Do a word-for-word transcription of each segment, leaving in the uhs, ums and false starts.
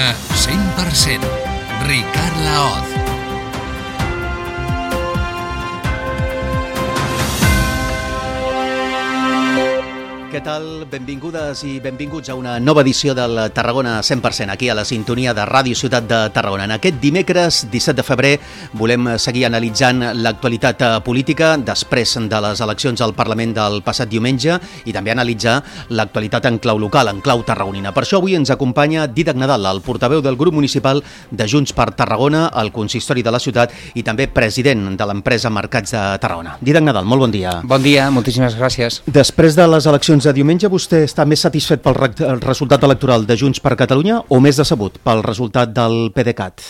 Tarragona cent per cent. Ricard Laoz. Què tal? Benvingudes i benvinguts a una nova edició del Tarragona cent per cent, aquí a la sintonia de Ràdio Ciutat de Tarragona. En aquest dimecres, disset de febrer, volem seguir analitzant l'actualitat política després de les eleccions al Parlament del passat diumenge i també analitzar l'actualitat en clau local, en clau tarragonina. Per això avui ens acompanya Dídac Nadal, el portaveu del grup municipal de Junts per Tarragona, al consistori de la ciutat i també president de l'empresa Mercats de Tarragona. Dídac Nadal, molt bon dia. Bon dia, moltíssimes gràcies. Després de les eleccions de diumenge, vostè està més satisfet pel re el resultat electoral de Junts per Catalunya o més decebut pel resultat del PDeCAT?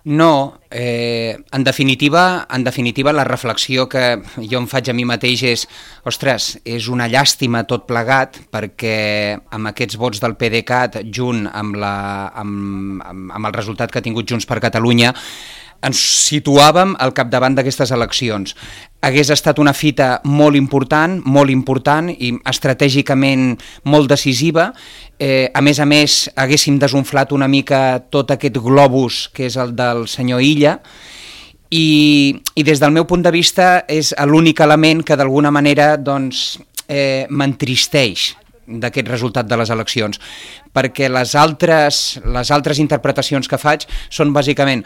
No, eh, en definitiva, en definitiva la reflexió que jo em faig a mi mateix és, ostres, és una llàstima tot plegat, perquè amb aquests vots del PDeCAT, junt amb, la, amb, amb, amb el resultat que ha tingut Junts per Catalunya, ens situàvem al capdavant d'aquestes eleccions. Hagués estat una fita molt important, molt important i estratègicament molt decisiva. Eh, a més a més, haguéssim desunflat una mica tot aquest globus que és el del senyor Illa i, i des del meu punt de vista és l'únic element que d'alguna manera doncs, eh, m'entristeix d'aquest resultat de les eleccions, perquè les altres, les altres interpretacions que faig són bàsicament: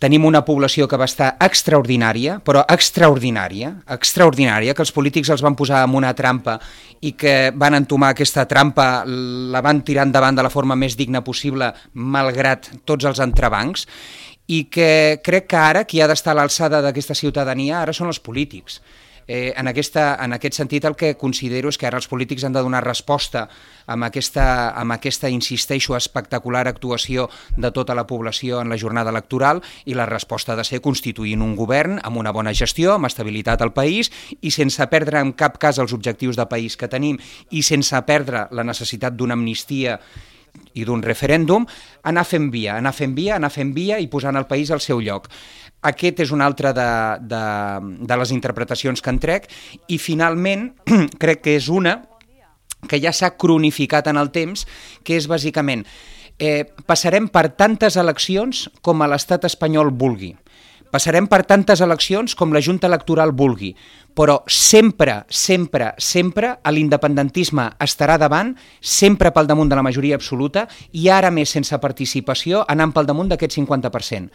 tenim una població que va estar extraordinària, però extraordinària, extraordinària, que els polítics els van posar en una trampa i que van entomar aquesta trampa, la van tirar endavant de la forma més digna possible, malgrat tots els entrebancs, i que crec que ara qui ha d'estar a l'alçada d'aquesta ciutadania ara són els polítics. Eh, en, aquesta, en aquest sentit el que considero és que ara els polítics han de donar resposta amb aquesta, amb aquesta, insisteixo, espectacular actuació de tota la població en la jornada electoral, i la resposta ha de ser constituint un govern amb una bona gestió, amb estabilitat al país i sense perdre en cap cas els objectius de país que tenim i sense perdre la necessitat d'una amnistia i d'un referèndum, anar fent via, anar fent via, anar fent via i posant el país al seu lloc. Aquest és una altra de, de, de les interpretacions que en trec, i finalment crec que és una que ja s'ha cronificat en el temps, que és bàsicament eh, passarem per tantes eleccions com a l'estat espanyol vulgui, passarem per tantes eleccions com la Junta Electoral vulgui, però sempre, sempre, sempre l'independentisme estarà davant, sempre pel damunt de la majoria absoluta, i ara més sense participació, anant pel damunt d'aquest cinquanta per cent.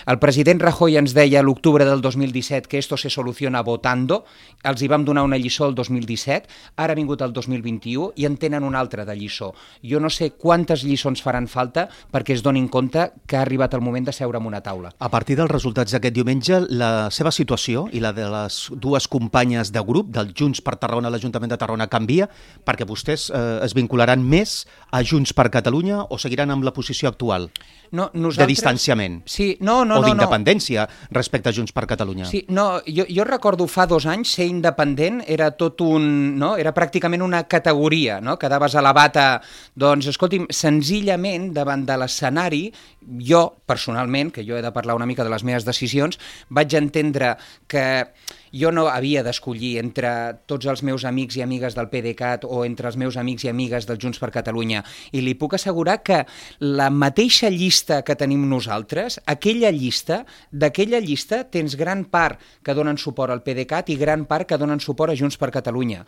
El president Rajoy ens deia a l'octubre del dos mil disset que esto se soluciona votando, els hi vam donar una lliçó el dos mil disset, ara ha vingut el dos mil vint-i-u i en tenen una altra de lliçó. Jo no sé quantes lliçons faran falta perquè es donin compte que ha arribat el moment de seure en una taula. A partir dels resultats d'aquest diumenge, la seva situació i la de les dues companyes de grup del Junts per Tarragona a l'Ajuntament de Tarragona canvia, perquè vostès eh, es vincularan més a Junts per Catalunya o seguiran amb la posició actual no, nosaltres... de distanciament? Sí, no, no, o no, d'independència no. respecte a Junts per Catalunya? Sí, no, jo, jo recordo fa dos anys ser independent era tot un... No? Era pràcticament una categoria, no? Quedaves a la bata... Doncs, escolti'm, senzillament, davant de l'escenari, jo, personalment, que jo he de parlar una mica de les meves decisions, vaig entendre que jo no havia d'escollir entre tots els meus amics i amigues del PDeCAT o entre els meus amics i amigues del Junts per Catalunya, i li puc assegurar que la mateixa llista que tenim nosaltres, aquella llista, d'aquella llista tens gran part que donen suport al PDeCAT i gran part que donen suport a Junts per Catalunya.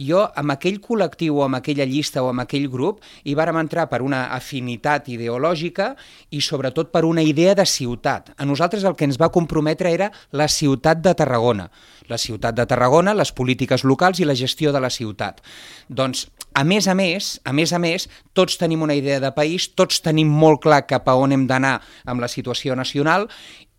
Jo, amb aquell col·lectiu o amb aquella llista o amb aquell grup, hi vàrem entrar per una afinitat ideològica i sobretot per una idea de ciutat. A nosaltres el que ens va comprometre era la ciutat de Tarragona. La ciutat de Tarragona, les polítiques locals i la gestió de la ciutat. Doncs, a més a més, a més a més, tots tenim una idea de país, tots tenim molt clar cap a on hem d'anar amb la situació nacional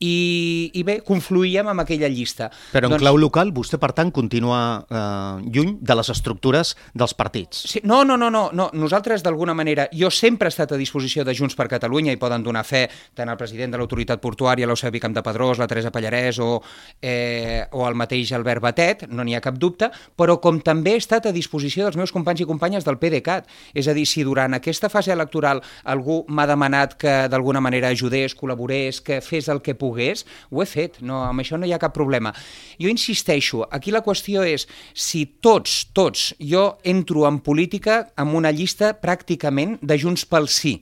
i, i bé, confluíem amb aquella llista. Però en doncs, clau local, vostè, per tant, continua eh, lluny de les estructures dels partits. Sí, no, no, no, no, no. Nosaltres, d'alguna manera, jo sempre he estat a disposició de Junts per Catalunya i poden donar fe tant el president de l'autoritat portuària, l'Eusebi Campdepadrós, la Teresa Pallarès o, eh, o el mateix Albert Batet, no n'hi ha cap dubte, però com també he estat a disposició dels meus companys i companyes del PDeCAT. És a dir, si durant aquesta fase electoral algú m'ha demanat que d'alguna manera ajudés, col·laborés, que fes el que pogués, ho he fet, no, amb això no hi ha cap problema. Jo insisteixo, aquí la qüestió és si tots, tots, jo entro en política amb una llista pràcticament de Junts pel Sí.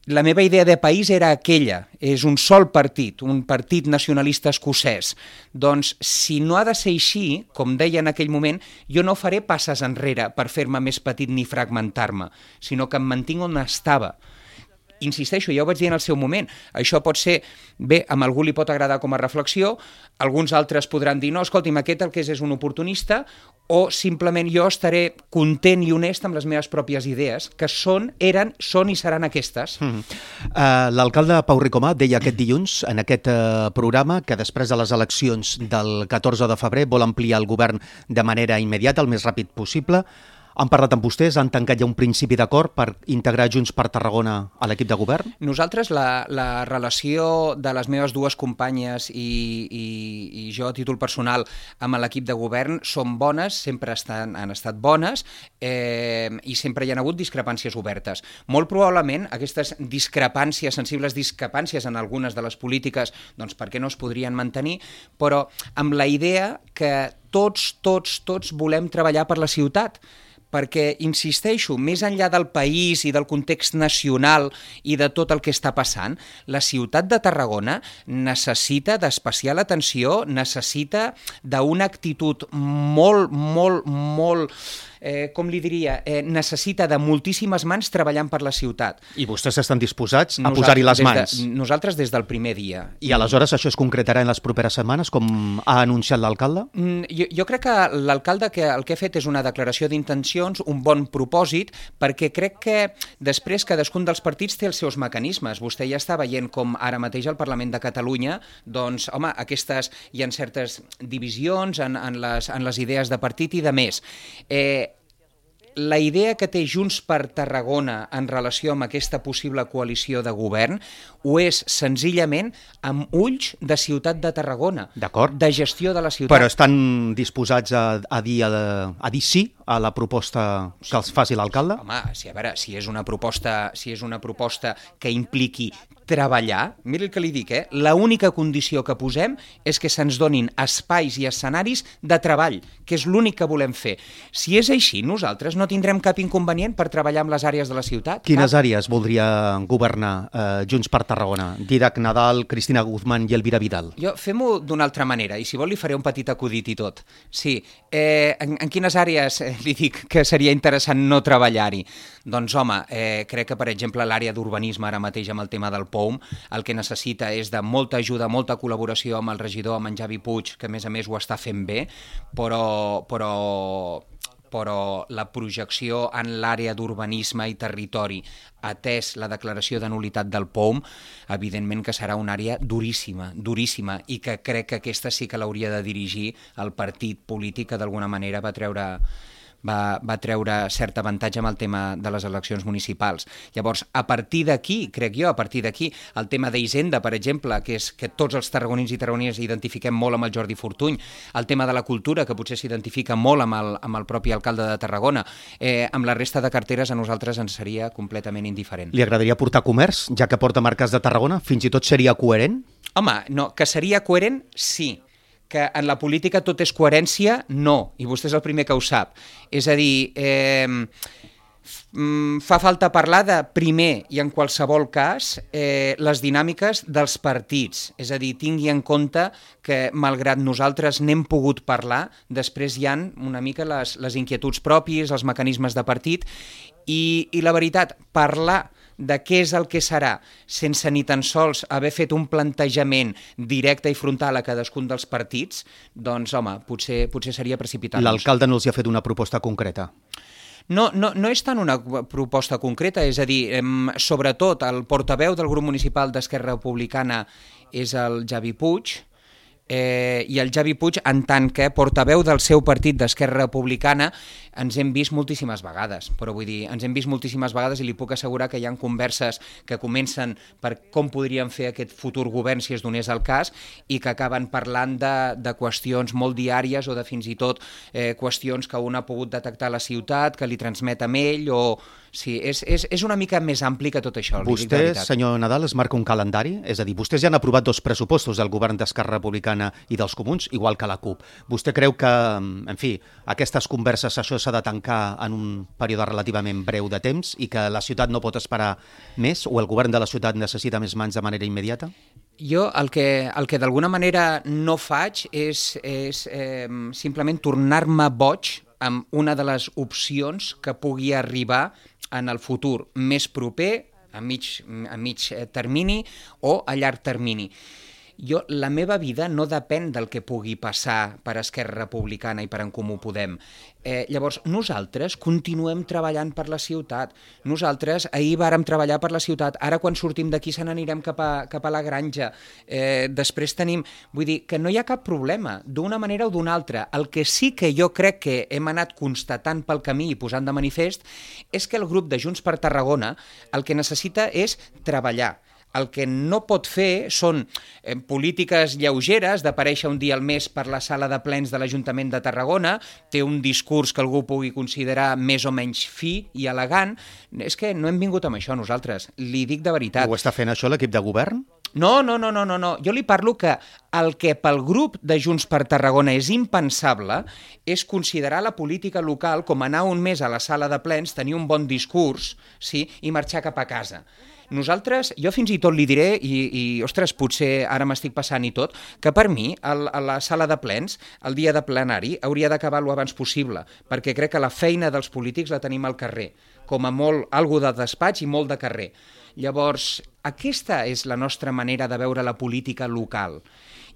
la meva idea de país era aquella, és un sol partit, un partit nacionalista escocès. Doncs, si no ha de ser així, com deia en aquell moment, jo no faré passes enrere per fer-me més petit ni fragmentar-me, sinó que em mantinc on estava. Insisteixo, ja ho vaig dir en el seu moment, això pot ser, bé, a algú li pot agradar com a reflexió, alguns altres podran dir, no, escolti'm, aquest el que és és un oportunista, o simplement jo estaré content i honest amb les meves pròpies idees, que són, eren, són i seran aquestes. Mm. Uh, L'alcalde Pau Ricomà deia aquest dilluns en aquest uh, programa que després de les eleccions del catorze de febrer vol ampliar el govern de manera immediata, el més ràpid possible. Han parlat amb vostès, han tancat ja un principi d'acord per integrar Junts per Tarragona a l'equip de govern? Nosaltres, la, la relació de les meves dues companyes i, i, i jo a títol personal amb l'equip de govern són bones, sempre estan, han estat bones eh, i sempre hi ha hagut discrepàncies obertes. Molt probablement aquestes discrepàncies, sensibles discrepàncies en algunes de les polítiques, doncs per què no es podrien mantenir, però amb la idea que tots, tots, tots volem treballar per la ciutat, perquè, insisteixo, més enllà del país i del context nacional i de tot el que està passant, la ciutat de Tarragona necessita d'especial atenció, necessita d'una actitud molt, molt, molt... Eh, com li diria, eh, necessita de moltíssimes mans treballant per la ciutat. I vostès estan disposats a posar-hi les mans? De, nosaltres des del primer dia. I aleshores això es concretarà en les properes setmanes, com ha anunciat l'alcalde? Mm, jo, jo crec que l'alcalde que, el que ha fet és una declaració d'intencions, un bon propòsit, perquè crec que després cadascun dels partits té els seus mecanismes. Vostè ja està veient com ara mateix al Parlament de Catalunya, doncs, home, aquestes hi ha certes divisions en, en, les, en les idees de partit i de més. Eh, La idea que té Junts per Tarragona en relació amb aquesta possible coalició de govern ho és senzillament amb ulls de ciutat de Tarragona, de gestió de la ciutat. Però estan disposats a, a, dir, a, a dir sí a la proposta que els faci l'alcalde? Home, si, a veure, si és una proposta, si és una proposta que impliqui treballar, mira el que li dic, eh? L'única condició que posem és que se'ns donin espais i escenaris de treball, que és l'únic que volem fer. Si és així, nosaltres no tindrem cap inconvenient per treballar amb les àrees de la ciutat. Quines cap? àrees voldria governar eh, Junts per Tarragona? Didac Nadal, Cristina Guzmán i Elvira Vidal. Jo fem-ho d'una altra manera, i si vol li faré un petit acudit i tot. Sí, eh, en, en quines àrees eh, li dic que seria interessant no treballar-hi? Doncs home, eh, crec que per exemple l'àrea d'urbanisme ara mateix amb el tema del P O M el que necessita és de molta ajuda, molta col·laboració amb el regidor, amb en Javi Puig, que a més a més ho està fent bé, però... però... però la projecció en l'àrea d'urbanisme i territori, atès la declaració de nulitat del P O M, evidentment que serà una àrea duríssima, duríssima, i que crec que aquesta sí que l'hauria de dirigir el partit polític que d'alguna manera va treure... Va, va treure cert avantatge amb el tema de les eleccions municipals. Llavors, a partir d'aquí, crec jo, a partir d'aquí, el tema d'Hisenda, per exemple, que és que tots els tarragonins i tarragonines identifiquem molt amb el Jordi Fortuny, el tema de la cultura, que potser s'identifica molt amb el, amb el propi alcalde de Tarragona, eh, amb la resta de carteres a nosaltres ens seria completament indiferent. Li agradaria portar comerç, ja que porta marques de Tarragona? Fins i tot seria coherent? Home, no, que seria coherent, sí. Que en la política tot és coherència, no, i vostè és el primer que ho sap. És a dir, eh, fa falta parlar de, primer i en qualsevol cas, eh, les dinàmiques dels partits. És a dir, tingui en compte que, malgrat nosaltres n'hem pogut parlar, després hi ha una mica les, les inquietuds pròpies, els mecanismes de partit, i, i la veritat, parlar de què és el que serà, sense ni tan sols haver fet un plantejament directe i frontal a cadascun dels partits, doncs, home, potser, potser seria precipitar-nos. L'alcalde no els ha fet una proposta concreta? No, no, no és tant una proposta concreta, és a dir, em, sobretot el portaveu del grup municipal d'Esquerra Republicana és el Javi Puig, Eh, i el Javi Puig, en tant que portaveu del seu partit d'Esquerra Republicana, ens hem vist moltíssimes vegades, però vull dir, ens hem vist moltíssimes vegades i li puc assegurar que hi ha converses que comencen per com podríem fer aquest futur govern si es donés el cas i que acaben parlant de, de qüestions molt diàries o de fins i tot eh, qüestions que un ha pogut detectar a la ciutat, que li transmet amb ell o... Sí, és, és, és una mica més ampli que tot això. Vostè, senyor Nadal, es marca un calendari? És a dir, vostès ja han aprovat dos pressupostos del govern d'Esquerra Republicana i dels Comuns, igual que la CUP. Vostè creu que, en fi, aquestes converses, això s'ha de tancar en un període relativament breu de temps i que la ciutat no pot esperar més o el govern de la ciutat necessita més mans de manera immediata? Jo el que, el que d'alguna manera no faig és, és eh, simplement tornar-me boig amb una de les opcions que pugui arribar en el futur més proper, a mig, a mig termini o a llarg termini. Jo, la meva vida no depèn del que pugui passar per Esquerra Republicana i per En Comú Podem. Eh, llavors, nosaltres continuem treballant per la ciutat. Nosaltres ahir vàrem treballar per la ciutat. Ara, quan sortim d'aquí, se n'anirem cap a, cap a la granja. Eh, després tenim... Vull dir que no hi ha cap problema, d'una manera o d'una altra. El que sí que jo crec que hem anat constatant pel camí i posant de manifest és que el grup de Junts per Tarragona el que necessita és treballar. El que no pot fer són eh, polítiques lleugeres d'aparèixer un dia al mes per la sala de plens de l'Ajuntament de Tarragona, té un discurs que algú pugui considerar més o menys fi i elegant. És que no hem vingut amb això nosaltres, li dic de veritat. Ho està fent això l'equip de govern? No, no, no, no, no, no. Jo li parlo que el que pel grup de Junts per Tarragona és impensable és considerar la política local com anar un mes a la sala de plens, tenir un bon discurs, sí, i marxar cap a casa. Nosaltres, jo fins i tot li diré, i, i ostres, potser ara m'estic passant i tot, que per mi, el, a la sala de plens, el dia de plenari, hauria d'acabar lo abans possible, perquè crec que la feina dels polítics la tenim al carrer, com a molt algo de despatx i molt de carrer. Llavors, aquesta és la nostra manera de veure la política local.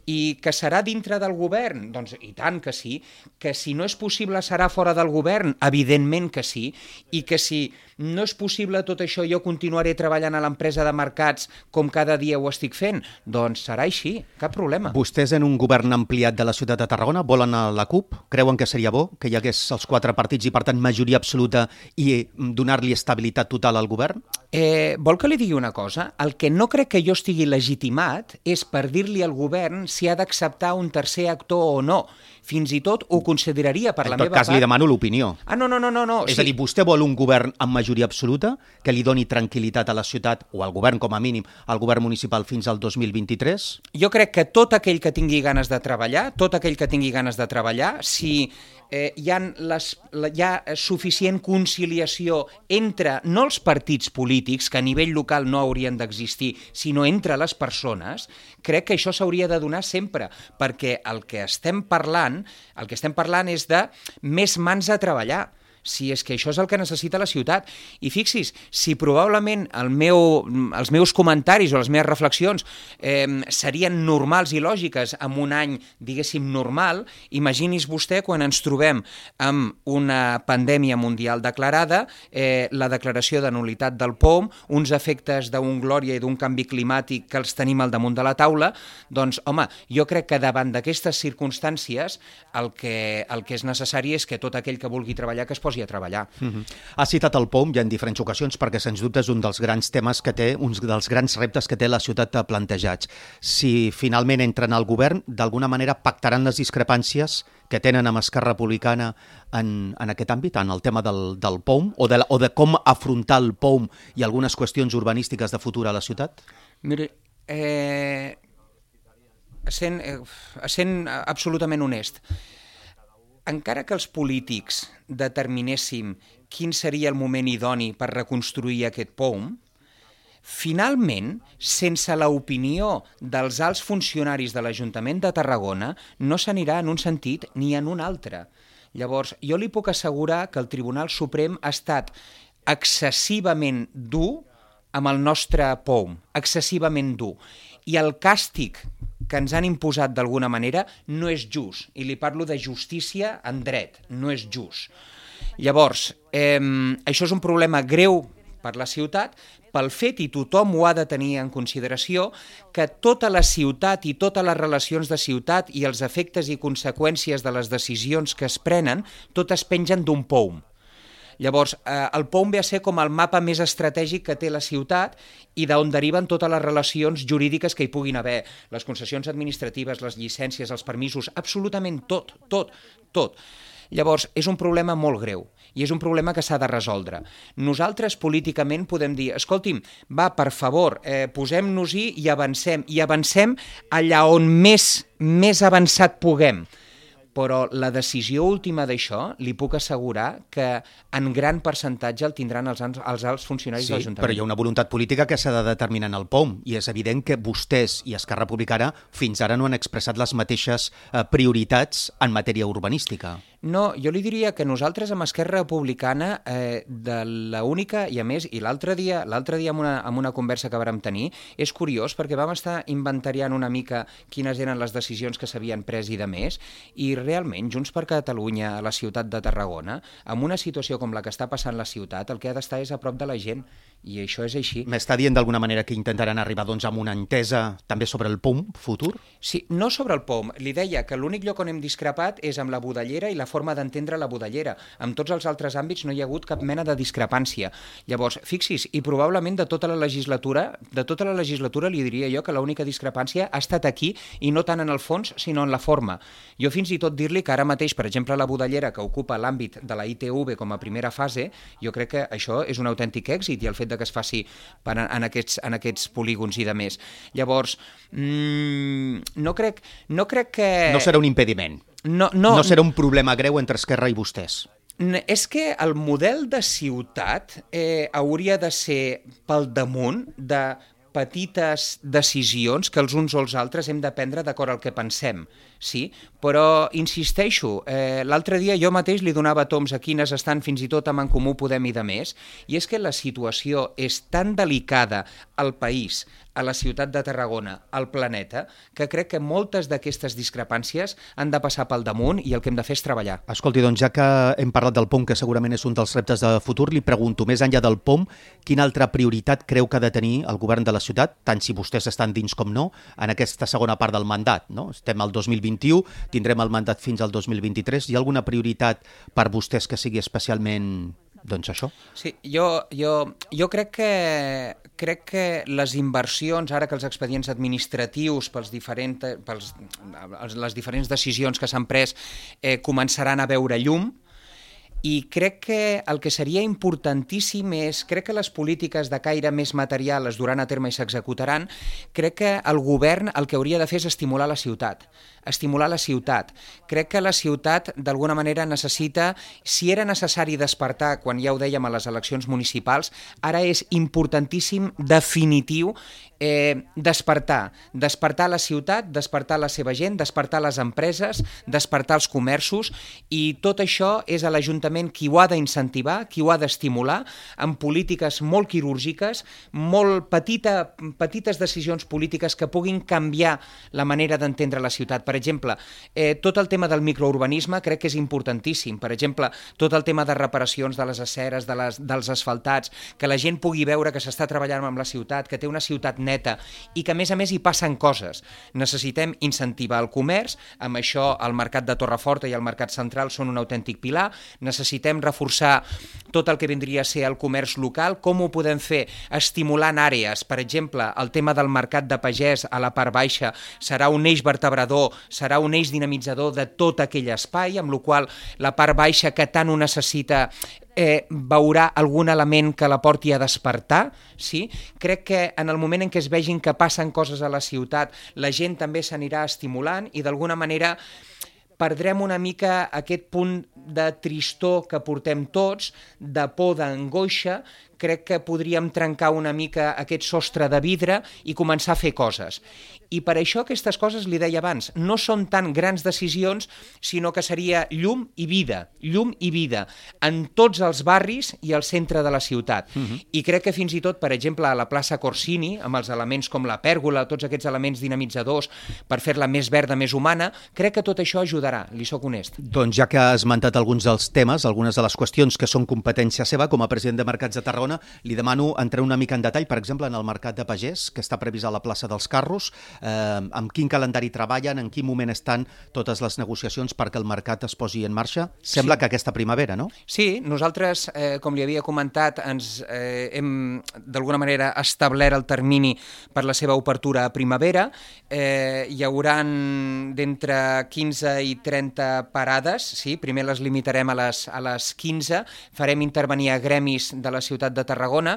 I que serà dintre del govern? Doncs i tant que sí. Que si no és possible serà fora del govern? Evidentment que sí. I que si no és possible tot això jo continuaré treballant a l'empresa de mercats com cada dia ho estic fent? Doncs serà així, cap problema. Vostès en un govern ampliat de la ciutat de Tarragona volen a la CUP? Creuen que seria bo que hi hagués els quatre partits i per tant majoria absoluta i donar-li estabilitat total al govern? Eh, vol que li digui una cosa? El que no crec que jo estigui legitimat és per dir-li al govern si ha d'acceptar un tercer actor o no. Fins i tot ho consideraria per la meva part... En tot cas, li demano l'opinió. Ah, no, no, no, no. no. És sí. a dir, vostè vol un govern amb majoria absoluta que li doni tranquil·litat a la ciutat, o al govern com a mínim, al govern municipal fins al dos mil vint-i-tres? Jo crec que tot aquell que tingui ganes de treballar, tot aquell que tingui ganes de treballar, si eh, hi, ha les, hi ha suficient conciliació entre, no els partits polítics, que a nivell local no haurien d'existir, sinó entre les persones, crec que això s'hauria de donar sempre, perquè el que estem parlant, el que estem parlant és de més mans a treballar. Si és que això és el que necessita la ciutat. I fixis, si probablement el meu, els meus comentaris o les meves reflexions eh, serien normals i lògiques en un any, diguéssim, normal, imagini's vostè quan ens trobem amb una pandèmia mundial declarada, eh, la declaració de nul·litat del P O M, uns efectes d'un glòria i d'un canvi climàtic que els tenim al damunt de la taula, doncs, home, jo crec que davant d'aquestes circumstàncies el que, el que és necessari és que tot aquell que vulgui treballar que es posi a treballar. Uh-huh. Ha citat el P O M ja en diferents ocasions perquè sens dubte és un dels grans temes que té, uns dels grans reptes que té la ciutat plantejats. Si finalment entren al govern, d'alguna manera pactaran les discrepàncies que tenen amb Esquerra Republicana en, en aquest àmbit, en el tema del, del P O M o de, la, o de com afrontar el P O M i algunes qüestions urbanístiques de futur a la ciutat? Mire, eh, sent, eh, sent absolutament honest, encara que els polítics determinéssim quin seria el moment idoni per reconstruir aquest P O M, finalment, sense l'opinió dels alts funcionaris de l'Ajuntament de Tarragona, no s'anirà en un sentit ni en un altre. Llavors, jo li puc assegurar que el Tribunal Suprem ha estat excessivament dur amb el nostre P O M, excessivament dur. I el càstig que ens han imposat d'alguna manera no és just, i li parlo de justícia en dret, no és just. Llavors, eh, això és un problema greu per la ciutat, pel fet, i tothom ho ha de tenir en consideració, que tota la ciutat i totes les relacions de ciutat i els efectes i conseqüències de les decisions que es prenen, totes pengen d'un P O M. Llavors, eh, el P O M ve a ser com el mapa més estratègic que té la ciutat i d'on deriven totes les relacions jurídiques que hi puguin haver, les concessions administratives, les llicències, els permisos, absolutament tot, tot, tot. Llavors, és un problema molt greu i és un problema que s'ha de resoldre. Nosaltres políticament podem dir, escolti'm, va, per favor, eh, posem-nos-hi i avancem, i avancem allà on més, més avançat puguem. però la decisió última d'això li puc assegurar que en gran percentatge el tindran els, els alts funcionaris sí, de l'Ajuntament. Però hi ha una voluntat política que s'ha de determinar en el P O M i és evident que vostès i Esquerra Republicana fins ara no han expressat les mateixes eh, prioritats en matèria urbanística. No, jo li diria que nosaltres amb Esquerra Republicana, eh, de l'única, i a més, i l'altre dia, l'altre dia amb una, amb una conversa que vàrem tenir, és curiós perquè vam estar inventariant una mica quines eren les decisions que s'havien pres i de més, i realment Junts per Catalunya a la ciutat de Tarragona, amb una situació com la que està passant la ciutat, el que ha d'estar és a prop de la gent, i això és així. M'està dient d'alguna manera que intentaran arribar doncs, amb una entesa també sobre el P O M futur? Sí, no sobre el P O M. Li deia que l'únic lloc on hem discrepat és amb la budellera i la forma d'entendre la budellera. En tots els altres àmbits no hi ha hagut cap mena de discrepància. Llavors, fixi's, i probablement de tota la legislatura, de tota la legislatura li diria jo que l'única discrepància ha estat aquí i no tant en el fons, sinó en la forma. Jo fins i tot dir-li que ara mateix, per exemple, la budellera que ocupa l'àmbit de la I T V com a primera fase, jo crec que això és un autèntic èxit i el fet de que es faci per en, aquests, en aquests polígons i de més. Llavors, mmm, no, crec, no crec que... No serà un impediment. No, no, no serà un problema greu entre Esquerra i vostès. És que el model de ciutat eh, hauria de ser pel damunt de petites decisions que els uns o els altres hem de prendre d'acord al que pensem, sí? Però insisteixo, eh, l'altre dia jo mateix li donava toms a quines estan fins i tot amb En Comú Podem i de més, i és que la situació és tan delicada al país, a la ciutat de Tarragona, al planeta, que crec que moltes d'aquestes discrepàncies han de passar pel damunt i el que hem de fer és treballar. Escolti, doncs ja que hem parlat del P O M, que segurament és un dels reptes de futur, li pregunto, més enllà del P O M, quina altra prioritat creu que ha de tenir el govern de la ciutat, tant si vostès estan dins com no, en aquesta segona part del mandat, no? Estem al dos mil vint-i-u, tindrem el mandat fins al dos mil vint-i-tres. Hi ha alguna prioritat per vostès que sigui especialment... doncs això? Sí, jo, jo, jo crec que crec que les inversions, ara que els expedients administratius pels diferents, pels, les diferents decisions que s'han pres eh, començaran a veure llum, i crec que el que seria importantíssim és, crec que les polítiques de caire més material es duran a terme i s'executaran, crec que el govern el que hauria de fer és estimular la ciutat, estimular la ciutat. Crec que la ciutat d'alguna manera necessita, si era necessari despertar, quan ja ho dèiem a les eleccions municipals, ara és importantíssim, definitiu, eh, despertar, despertar la ciutat, despertar la seva gent, despertar les empreses, despertar els comerços, i tot això és a l'Ajuntament qui ho ha d'incentivar, qui ho ha d'estimular, amb polítiques molt quirúrgiques, molt petita, petites decisions polítiques que puguin canviar la manera d'entendre la ciutat. Per exemple, eh, tot el tema del microurbanisme crec que és importantíssim. Per exemple, tot el tema de reparacions de les aceres, de les, dels asfaltats, que la gent pugui veure que s'està treballant amb la ciutat, que té una ciutat neta i que a més a més hi passen coses. Necessitem incentivar el comerç, amb això el mercat de Torreforta i el mercat central són un autèntic pilar. Necessitem reforçar tot el que vindria a ser el comerç local. Com ho podem fer? Estimulant àrees. Per exemple, el tema del mercat de pagès a la part baixa serà un eix vertebrador, serà un eix dinamitzador de tot aquell espai, amb la qual la part baixa que tant ho necessita eh, veurà algun element que la porti a despertar, sí? Crec que en el moment en què es vegin que passen coses a la ciutat, la gent també s'anirà estimulant i d'alguna manera perdrem una mica aquest punt de tristor que portem tots, de por, d'angoixa. Crec que podríem trencar una mica aquest sostre de vidre i començar a fer coses. I per això aquestes coses, li deia abans, no són tan grans decisions, sinó que seria llum i vida, llum i vida, en tots els barris i al centre de la ciutat. Uh-huh. I crec que fins i tot, per exemple, a la plaça Corsini, amb els elements com la pèrgola, tots aquests elements dinamitzadors per fer-la més verda, més humana, crec que tot això ajudarà, li soc honest. Doncs ja que ha esmentat alguns dels temes, algunes de les qüestions que són competència seva, com a president de Mercats de Tarragona, li demano entrar una mica en detall, per exemple, en el mercat de pagès, que està previst a la plaça dels Carros, eh, amb quin calendari treballen, en quin moment estan totes les negociacions perquè el mercat es posi en marxa? Sembla sí. que aquesta primavera, no? Sí, nosaltres, eh, com li havia comentat, ens eh, hem d'alguna manera establert el termini per la seva obertura a primavera. Eh, hi hauran d'entre quinze i trenta parades, sí? Primer les limitarem a les, a les quinze, farem intervenir a gremis de la ciutat de Tarragona,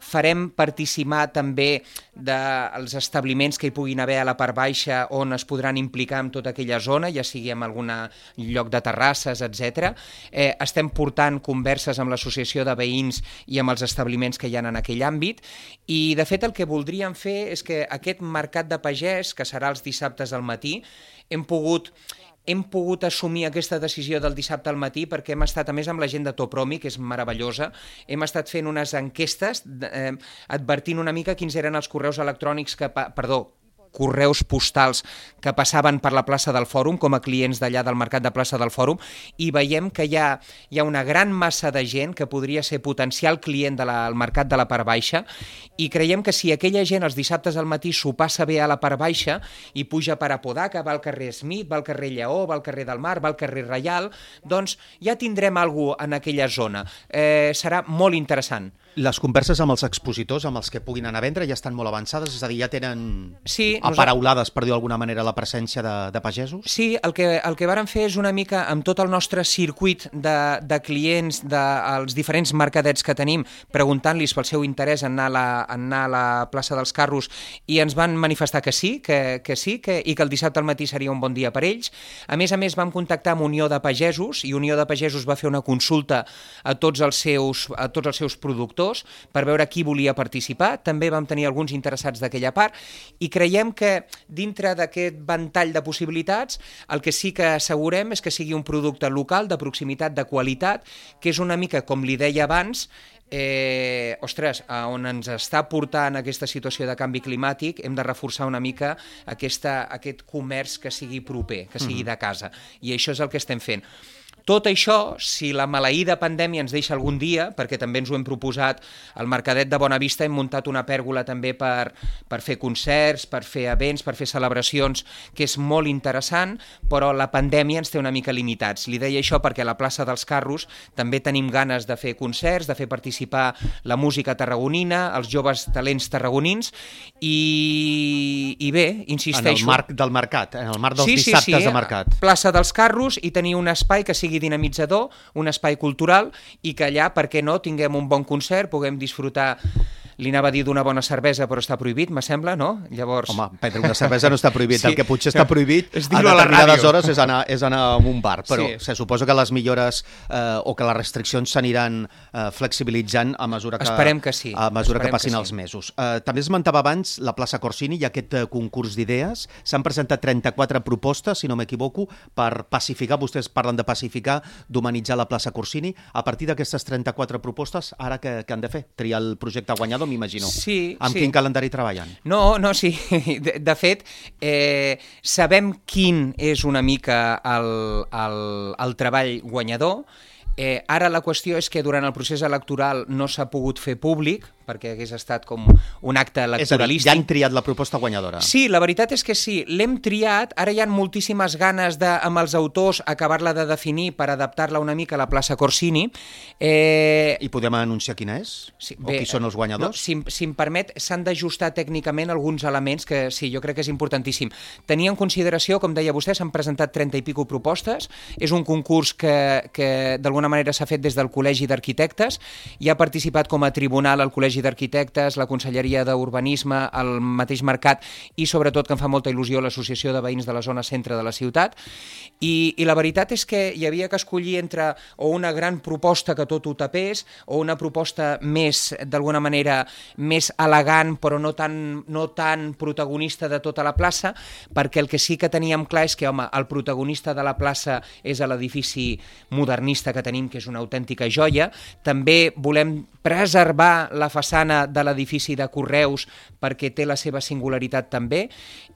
farem participar també dels establiments que hi puguin haver a la part baixa on es podran implicar en tota aquella zona, ja sigui en algun lloc de terrasses, etcètera. Eh, estem portant converses amb l'associació de veïns i amb els establiments que hi ha en aquell àmbit, i de fet el que voldríem fer és que aquest mercat de pagès, que serà els dissabtes al matí, hem pogut... Hem pogut assumir aquesta decisió del dissabte al matí perquè hem estat, a més, amb la gent de Topromi, que és meravellosa, hem estat fent unes enquestes eh, advertint una mica quins eren els correus electrònics que... Perdó, correus postals que passaven per la plaça del Fòrum com a clients d'allà del mercat de plaça del Fòrum, i veiem que hi ha, hi ha una gran massa de gent que podria ser potencial client del mercat de la part baixa, i creiem que si aquella gent els dissabtes al matí s'ho passa bé a la part baixa i puja per Apodaca, va al carrer Smith, va al carrer Lleó, va al carrer del Mar, va al carrer Reial, doncs ja tindrem alguna cosa en aquella zona. Eh, serà molt interessant. Les converses amb els expositors, amb els que puguin anar a vendre, ja estan molt avançades? És a dir, ja tenen sí, aparaulades, per dir d'alguna manera, la presència de, de pagesos? Sí, el que, el que vàrem fer és una mica, amb tot el nostre circuit de, de clients dels de, diferents mercadets que tenim, preguntant-los pel seu interès en anar, a la, en anar a la plaça dels Carros, i ens van manifestar que sí, que, que sí, que, i que el dissabte al matí seria un bon dia per ells. A més a més, vam contactar amb Unió de Pagesos, i Unió de Pagesos va fer una consulta a tots els seus, a tots els seus productors per veure qui volia participar. També vam tenir alguns interessats d'aquella part, i creiem que dintre d'aquest ventall de possibilitats el que sí que assegurem és que sigui un producte local, de proximitat, de qualitat, que és una mica, com li deia abans, Eh, ostres, on ens està portant aquesta situació de canvi climàtic, hem de reforçar una mica aquesta, aquest comerç que sigui proper, que sigui de casa, i això és el que estem fent. Tot això, si la maleïda pandèmia ens deixa algun dia, perquè també ens ho hem proposat, al Mercadet de Bonavista hem muntat una pèrgola també per, per fer concerts, per fer events, per fer celebracions, que és molt interessant, però la pandèmia ens té una mica limitats. Li deia això perquè a la plaça dels Carros també tenim ganes de fer concerts, de fer participar la música tarragonina, els joves talents tarragonins, i, i bé, insisteixo... En el marc del mercat, en el marc dels sí, dissabtes sí, sí, de mercat. Plaça dels Carros, i tenir un espai que sigui dinamitzador, un espai cultural, i que allà, per què no, tinguem un bon concert, puguem disfrutar, li anava a dir d'una bona cervesa, però està prohibit, me sembla, no? Llavors... Home, prendre una cervesa no està prohibit, sí. El que potser està prohibit a determinades hores és anar, és anar a un bar, però sí. Se suposa que les millores eh, o que les restriccions s'aniran eh, flexibilitzant a mesura que, Esperem que, sí. a mesura Esperem que passin que sí. els mesos. Eh, també esmentava abans la plaça Corsini i aquest eh, concurs d'idees. S'han presentat trenta-quatre propostes, si no m'equivoco, per pacificar, vostès parlen de pacificar, d'humanitzar la plaça Corsini. A partir d'aquestes trenta-quatre propostes, ara què han de fer? Triar el projecte guanyador, m'imagino. Sí, amb sí. quin calendari treballen? No, no, sí. De, de fet, eh, sabem quin és una mica el, el, el treball guanyador. Eh, ara la qüestió és que durant el procés electoral no s'ha pogut fer públic, perquè hagués estat com un acte electoralístic. És a dir, ja han triat la proposta guanyadora. Sí, la veritat és que sí, l'hem triat, ara hi ha moltíssimes ganes de, amb els autors, acabar-la de definir per adaptar-la una mica a la plaça Corsini. Eh... I podem anunciar quina és? Sí, o bé, qui són els guanyadors? No, si, si em permet, s'han d'ajustar tècnicament alguns elements que sí, jo crec que és importantíssim. Tenir en consideració, com deia vostè, s'han presentat trenta i pico propostes, és un concurs que, que d'alguna manera s'ha fet des del Col·legi d'Arquitectes, hi ha participat com a tribunal el Col·legi d'Arquitectes, la Conselleria d'Urbanisme, el mateix mercat i sobretot, que em fa molta il·lusió, l'Associació de Veïns de la Zona Centre de la ciutat, i, i la veritat és que hi havia que escollir entre o una gran proposta que tot ho tapés o una proposta més, d'alguna manera, més elegant però no tan, no tan protagonista de tota la plaça, perquè el que sí que teníem clar és que, home, el protagonista de la plaça és a l'edifici modernista que tenim, que és una autèntica joia. També volem preservar la façana de l'edifici de Correus perquè té la seva singularitat també,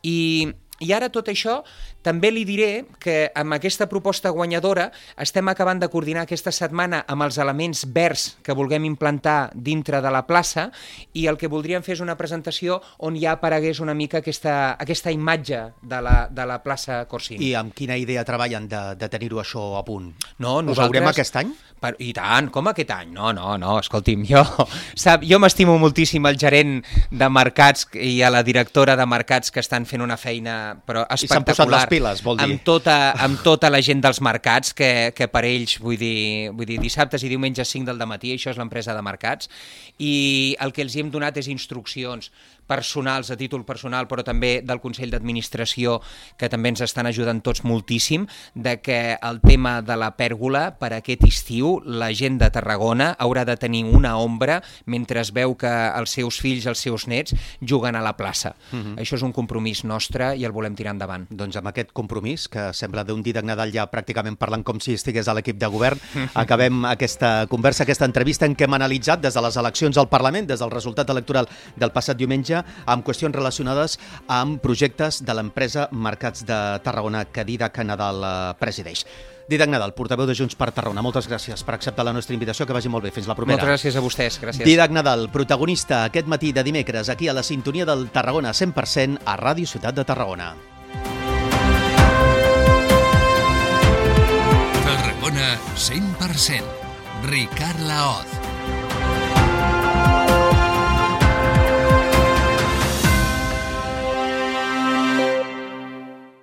i, i ara tot això també li diré que amb aquesta proposta guanyadora estem acabant de coordinar aquesta setmana amb els elements verds que vulguem implantar dintre de la plaça, i el que voldríem fer és una presentació on ja aparegués una mica aquesta, aquesta imatge de la, de la plaça Corsini. I amb quina idea treballen de, de tenir-ho això a punt? No, nosaltres... Ho veurem aquest any? Per, I tant, com aquest any? No, no, no, escolti'm, jo, sap, jo m'estimo moltíssim el gerent de mercats i a la directora de mercats que estan fent una feina però espectacular. I s'han posat les piles, vol dir. Amb tota, amb tota la gent dels mercats, que, que per ells, vull dir, vull dir, dissabtes i diumenges cinc del dematí, això és l'empresa de mercats, i el que els hi hem donat és instruccions personals, a títol personal, però també del Consell d'Administració, que també ens estan ajudant tots moltíssim, de que el tema de la pèrgola, per aquest estiu, la gent de Tarragona haurà de tenir una ombra mentre es veu que els seus fills, els seus nets, juguen a la plaça. Uh-huh. Això és un compromís nostre i el volem tirar endavant. Doncs amb aquest compromís, que sembla d'un Dídac Nadal ja pràcticament parlant com si estigués a l'equip de govern, acabem aquesta conversa, aquesta entrevista en què hem analitzat des de les eleccions al Parlament, des del resultat electoral del passat diumenge, amb qüestions relacionades amb projectes de l'empresa Mercats de Tarragona que Dídac Nadal presideix. Dídac Nadal, portaveu de Junts per Tarragona, moltes gràcies per acceptar la nostra invitació, que vagi molt bé. Fins la propera. Moltes gràcies a vostès, gràcies. Dídac Nadal, protagonista aquest matí de dimecres aquí a la sintonia del Tarragona cent per cent a Ràdio Ciutat de Tarragona. Tarragona cent per cent. Ricard Laoz.